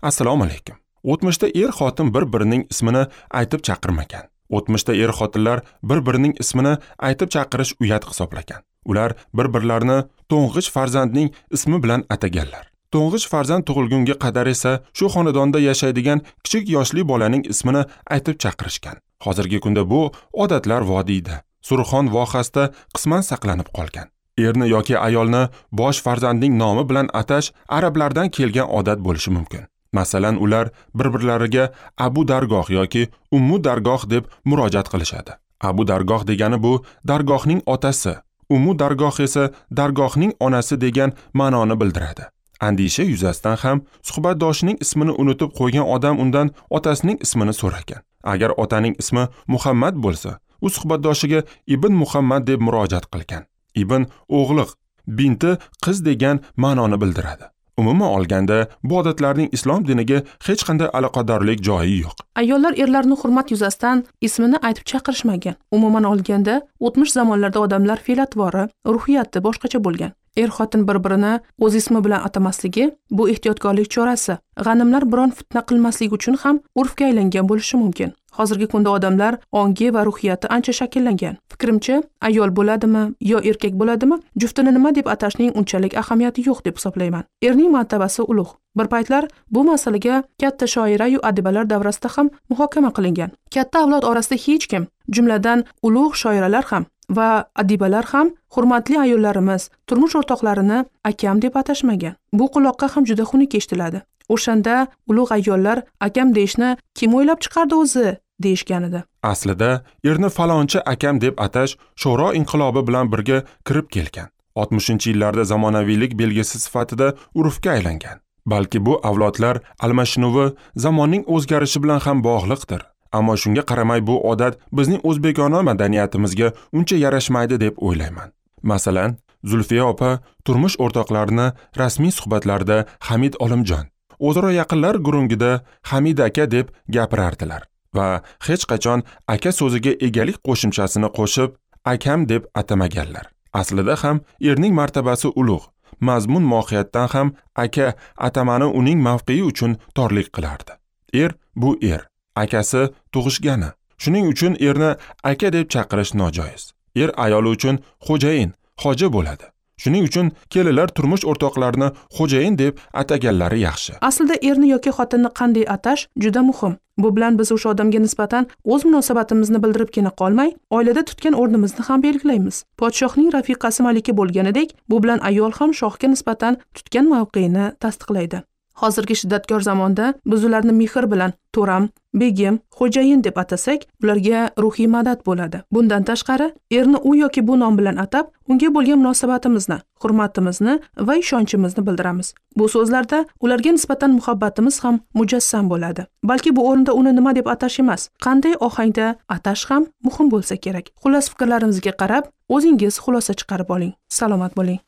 Assalomu alaykum. O'tmishda er-xotin bir-birining ismini aytib chaqirmagan. O'tmishda er-xotinlar bir-birining ismini aytib chaqirish uyat hisoblagan. Ular bir-birlarini to'ng'ich farzandning ismi bilan ataganlar. To'ng'ich farzand tug'ilgunga qadar esa shu xonadonda yashaydigan kichik yoshli bolaning ismini aytib chaqirishgan. Hozirgi kunda bu odatlar vodiyda, Surxon vohasida qisman saqlanib qolgan. Erni yoki ayolni bosh farzandning nomi bilan atash arablardan kelgan odat bo'lishi mumkin. Masalan, ular bir-birlariga Abu Dargoh yoki Ummu Dargoh deb murojaat qilishadi. Abu Dargoh degani bu dargohning otasi, Ummu Dargoh esa dargohning onasi degan ma'noni bildiradi. Andisha yuzasidan ham suhbatdoshining ismini unutib qo'ygan odam undan otasining ismini so'ragan. Agar otaning ismi Muhammad bo'lsa, u suhbatdoshiga Ibn Muhammad deb murojaat qilgan. Ibn o'g'liq, binti qiz degan ma'noni bildiradi. Umuman olganda, bu odatlarning islom diniga hech qanday aloqadorlik joyi yo'q. Ayollar erlarni hurmat yuzasidan ismini aytib chaqirishmagan. Umuman olganda, o'tmish zamonlarda odamlar fe'l-atvori, ruhiyati boshqacha bo'lgan. Er-xotin bir-birini o'z ismi bilan atamasligi bu ehtiyotkorlik chorasi. G'animlar biron fitna qilmaslik uchun ham urfga aylangan bo'lishi mumkin. Hozirgi kunda odamlar ongi va ruhiyati ancha shakllangan. Fikrimcha, ayol bo'ladimi yo erkak bo'ladimi, juftini nima deb atashning unchalik ahamiyati yo'q deb hisoblayman. Erning martabasi ulug'. Bir paytlar bu masalaga katta shoira-yu adibalar davrasida ham muhokama qilingan. Katta avlod orasida hech kim, jumladan ulug' shoiralar ham va adibalar ham hurmatli ayollarimiz turmush o'rtoqlarini akam deb atashmagan. Bu quloqqa ham juda xunuk eshitiladi. O'shanda ulug' ayollar akam deyishni kim o'ylab chiqardi o'zi deyishgan edi. Aslida erni falonchi akam deb atash Sho'ro inqilobi bilan birga kirib kelgan. 60-yillarda zamonaviylik belgisi sifatida urfga aylangan. Balki bu avlodlar almashinuvi zamonning o'zgarishi bilan ham bog'liqdir. Ammo shunga qaramay bu odat bizning o'zbekona madaniyatimizga uncha yarashmaydi deb o'ylayman. Masalan, Zulfiya opa turmush o'rtoqlarini rasmiy suhbatlarda Hamid Olimjon, o'zaro yaqinlar gurungida Hamid aka deb gapirardilar va hech qachon aka so'ziga egalik qo'shimchasini qo'shib akam deb atamaganlar. Aslida ham erning martabasi ulug', mazmun mohiyatdan ham aka atamani uning mavqei uchun torlik qilardi. Er bu er, akasi tug'ishgani. Shuning uchun erni aka deb chaqirish nojoiz. Er ayoli uchun xo'jayin, xo'ja bo'ladi. Shuning uchun kelinlar turmush o'rtoqlarini xo'jayin deb ataganlari yaxshi. Aslida erni yoki xotinni qanday atash juda muhim. Bu bilan biz o'sha odamga nisbatan o'z munosabatimizni bildiribgina qolmay, oilada tutgan o'rnimizni ham belgilaymiz. Podshohning rafiqasi malika bo'lganidek, bu bilan ayol ham shohga nisbatan tutgan mavqeini tasdiqlaydi. Hozirgi shiddatkor zamonda biz ularni mehr bilan to'ram, begim, xo'jayin deb atasak, ularga ruhiy madad bo'ladi. Bundan tashqari, erni u yoki bu nom bilan atab, unga bo'lgan munosabatimizni, hurmatimizni va ishonchimizni bildiramiz. Bu so'zlarda ularga nisbatan muhabbatimiz ham mujassam bo'ladi. Balki bu o'rinda uni nima deb atash emas, qanday ohangda atash ham muhim bo'lsa kerak. Xullas, fikrlarimizga qarab, o'zingiz xulosa chiqarib oling. Salomat bo'ling.